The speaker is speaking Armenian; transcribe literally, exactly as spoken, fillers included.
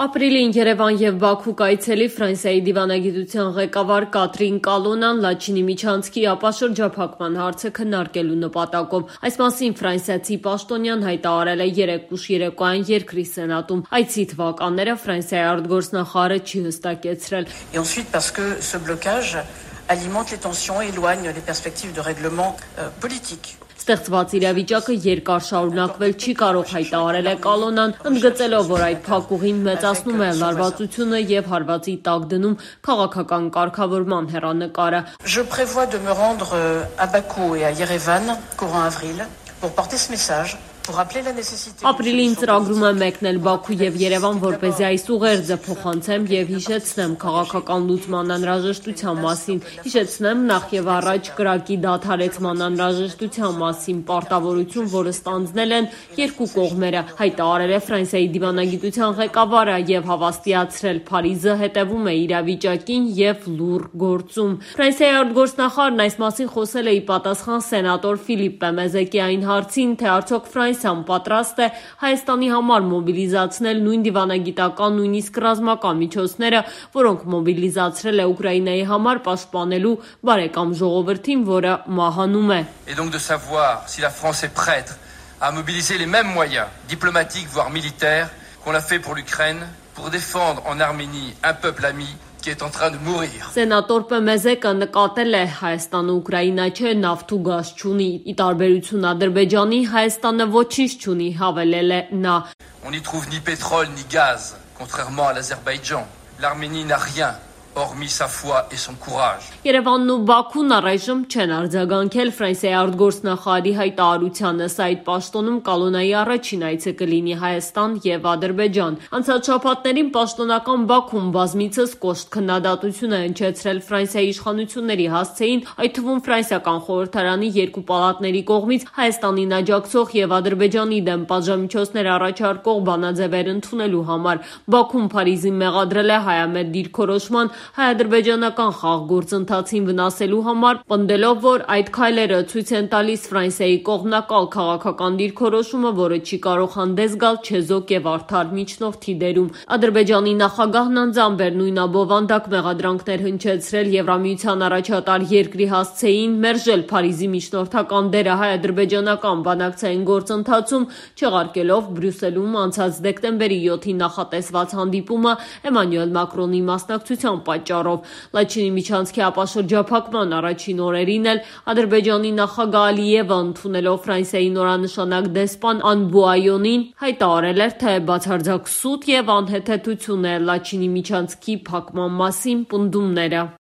Ապրիլին Երևան և Բաքու կայցելի Ֆրանսիայի դիվանագիտության ղեկավար Կատրին Կալոնան Լաչինի միջանցքի ապաշրջափակման հարցը քննարկելու նպատակով։ Այս մասին ֆրանսիացի պաշտոնյան հայտարարել է երեկ ուշ երեկոյան երկրի սենատում։ Այցի թվականները Ֆրանսիայի արտգործնախարարը չի հստակեցրել։ Et ensuite parce que ce blocage alimente les tensions et éloigne les perspectives de règlement euh, politique. Ստեղծված իրավիճակը երկար շարունակվել չի կարող, հայտարարել է Կալոնան, ընդգծելով, որ այդ փակուղին մեծացնում է լարվածությունը եւ հարվածի տակ դնում քաղաքական կարգավորման հեռանկարը։ Je prévois de me rendre à Bakou et à Yerevan courant avril pour porter ce message. Ապրիլին ծրագրում եմ մեկնել Բաքու և Երևան, որպեսզի այս ուղերձը փոխանցեմ եւ հիշեցնեմ քաղաքական լուծման անհրաժեշտության մասին, հիշեցնեմ նախ եւ առաջ կրակի դադարեցման անհրաժեշտության մասին պարտավորություն, որը ստանձնել են երկու կողմերը, հայտարարել է Ֆրանսիայի դիվանագիտության ղեկավարը եւ հավաստիացրել Փարիզը հետեւում է իրավիճակին եւ լուռ գործում։ Ֆրանսիայի արտգործնախարարն այս մասին խոսել է ի պատասխան սենատոր Ֆիլիպպե Մեզեկիային հարցին, թե արդյոք Ֆրանսիան պատրաստ է Հայաստանի համար մոբիլիզացնել նույն դիվանագիտական, նույնիսկ ռազմական միջոցները, որոնք մոբիլիզացրել է Ուկրաինայի համար պաշտպանելու բարեկամ ժողովրդին, որը մահանում է։ Et donc de savoir si la France est prête à mobiliser les mêmes moyens diplomatiques voire militaires qu'on l'a fait pour l'Ukraine pour défendre en Arménie un peuple ami qui est en train de mourir. Սենատոր Պեմեզեկը նկատել է Հայաստանը Ուկրաինա չէ, նավթ ու գազ չունի, ի տարբերություն Ադրբեջանի Հայաստանը ոչինչ չունի, հավելել է նա։ On n'y trouve ni pétrole ni gaz, contrairement à l'Azerbaïdjan. L'Arménie n'a rien. Hormis sa foi et son courage. Երևանն ու Բաքուն առայժմ չեն արձագանքել Ֆրանսիայի արտգործնախարարի հայտարարությանը, սա այդ պաշտոնում Կալոնայի առաջին այցը կլինի Հայաստան եւ Ադրբեջան։ Անցած շաբաթներին պաշտոնական Բաքուն բազմիցս կոշտ քննադատություն է հնչեցրել Ֆրանսիայի իշխանությունների հասցեին, այդ թվում ֆրանսիական խորհրդարանի երկու պալատների կողմից Հայաստանին աջակցող եւ Ադրբեջանի դեմ պատժամիջոցներ առաջարկող բանաձևեր ընդունելու համար։ Բաքուն Փարիզին մեղադրել է հայամետ դիրքորոշման հայ-ադրբեջանական խաղ գործընթացին վնասելու համար, պնդելով, որ այդ քայլերը ցույց են տալիս Ֆրանսիայի կողմնակալ քաղաքական դիրքորոշումը, որը չի կարող հանդես գալ չեզոք եւ արդար միջնորդի դերում։ Ադրբեջանի նախագահն անձամբ էր նույն աբովանդակ մեղադրանքներ հնչեցրել Եվրամիության առաջատար երկրի հասցեին, մերժել Փարիզի միջնորդական դերը հայ-ադրբեջանական բանակցային գործընթացում, չեղարկելով Բրյուսելում անցած դեկտեմբերի յոթին նախատեսված հանդիպումը Էմանուել Մակրոնի մասնակցությամբ պատճառով։ Լաչինի միջանցքի ապաշրջափակման առաջին օրերին էլ Ադրբեջանի նախագահ Ալիևը, ընդունելով Ֆրանսիայի նորանշանակ դեսպան Անբուայոնին, հայտարարել էր, թե բացարձակ սուտ եւ անհեթեթություն է Լաչինի միջանցքի փակման մասին պնդումները։